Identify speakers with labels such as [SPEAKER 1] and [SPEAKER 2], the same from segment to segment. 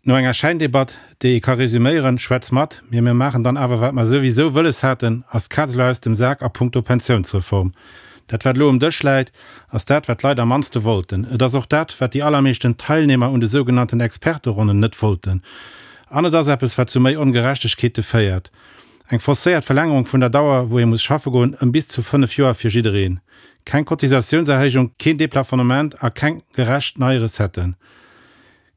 [SPEAKER 1] No enger Schäindebatt, déi ee ka resuméieren, Schwätz mat, mee mir maachen dann awer wat mer souwisou wëlles haten, ass d'Kaz elo aus dem Sak a punkto Pensiounsreform. Dat wat elo um Dësch läit, ass dat wat d'Leit am mannste wollten. Et ass och dat wat déi allermeeschten Teilnehmer un de sougenannten Experteronnen net wollten. An et ass eppes wat zu méi Ongerechtegkeete féiert. Eng forcéiert Verlängerung vun der Dauer wou ee muss schaffe goen ëm bis zu 5 Joer fir jiddereen. Keng Cotisatiounserhéijung, keen Deplafonnement a keng gerecht nei Recetten.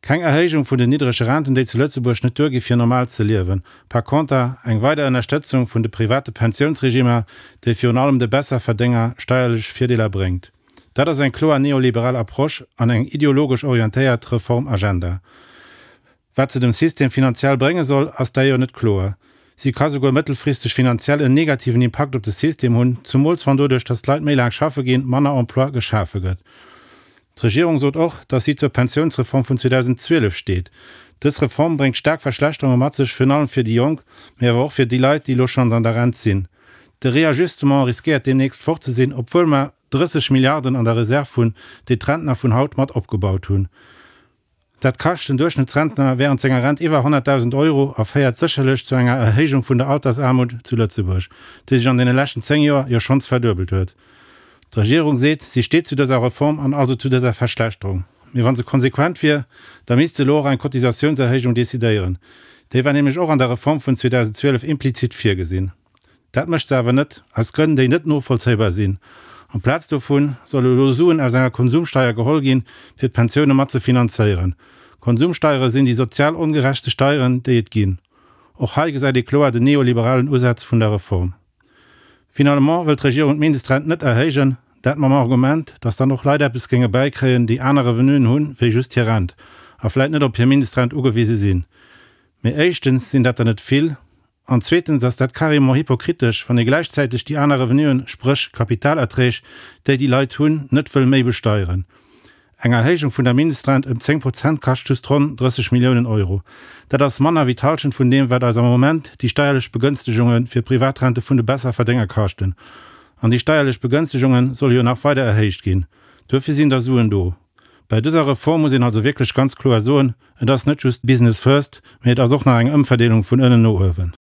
[SPEAKER 1] Keng Erhéijung vun den niddrege Renten, déi zu Lëtzebuerg net duergi fir normal ze liewen. Par conter eng weider Ënnerstëtzung vun de private Pensiounsregimer, déi virun allem de Besserverdénger steierlech Virdeeler bréngt. Dat ass eng kloer neoliberal Approche an eng ideologesch orientéiert Reformagenda. Wat se dem System finanziell brénge soll, ass d'ailleurs net kloer. Si ka souguer mëttelfristeg finanziell en negativen Impakt op de System hunn, zumools wann doduerch, datt d'Leit méi laang schaffe ginn, manner Emploi geschafe gëtt. D'Regierung sot och, datt si zur Pensiounsreform vun 2012 steet. Dës Reform bréngt staark Verschlechterunge mat sech, virun allem fir déi Jonk, mee awer och fir déi Leit, déi elo schonns an der Rent sinn. De Réajustement riskéiert deemnächst fort ze sinn, obwuel mer 30 Milliarden an der Reserv hunn, déi d'Rentner vun haut mat opgebaut hunn. Dat kascht den Duerchschnëttsrentner wärend senger Rent iwwer 100.000 Euro a féiert sécherlech zu enger Erhéijung vun der Altersaarmut zu Lëtzebuerg, déi sech an deene leschten 10 Joer jo schonns verduebelt huet. D'Regierung seet, si steet zu dëser Reform an also zu dëser Verschlechterung. Mee wa se konsequent wier, da misst se elo och eng Cotisatiounserhéijung decidéieren. Déi war nämlech och an der Reform vun 2012 implizit virgesinn. Dat mécht se awer net, aus Grënn, déi net novollzéibar sinn. Amplaz dovun solle elo Suen aus enger Konsumsteier geholl ginn, fir d'Pensioune mat ze finanzéieren. Konsumsteiere sinn déi sozial ongerechtste Steieren, déi et ginn. Och hei gesäit ee kloer den neoliberalen Usaz vun der Reform. Finalement wëll d'Regierung d'Mindestrent net erhéijen, dat mam Argument, datt dann och Leit eppes géinge bäikréien, déi aner Revenuen hunn, wéi just hir Rent a vläit net op hir Mindestrent ugewise sinn. Mee éischtens sinn dat der net vill An zweetens ass dat carrément hypokritesch, wann ee gläichzäiteg déi aner Revenuen, spréch Kapitalerträg, déi déi Leit hunn, net wëll méi besteieren. Eng Erhéijung vun der Mindestrent ëm 10 Prozent kascht just ronn 30 Milliounen Euro. Dat ass manner wéi d'Halschent vun deem, wat eis am Moment déi steierlech Begënstegunge fir Privatrente vun de Besserverdénger kaschten. An déi steierlech Begënstegunge solle jo nach weider erhéicht ginn. Duerfir sinn da Suen do. Bei dëser Reform muss een also wierklech ganz kloer soen, Et ass net just Business first, mee et ass och nach eng Ëmverdeelung vun ënnen no uewen.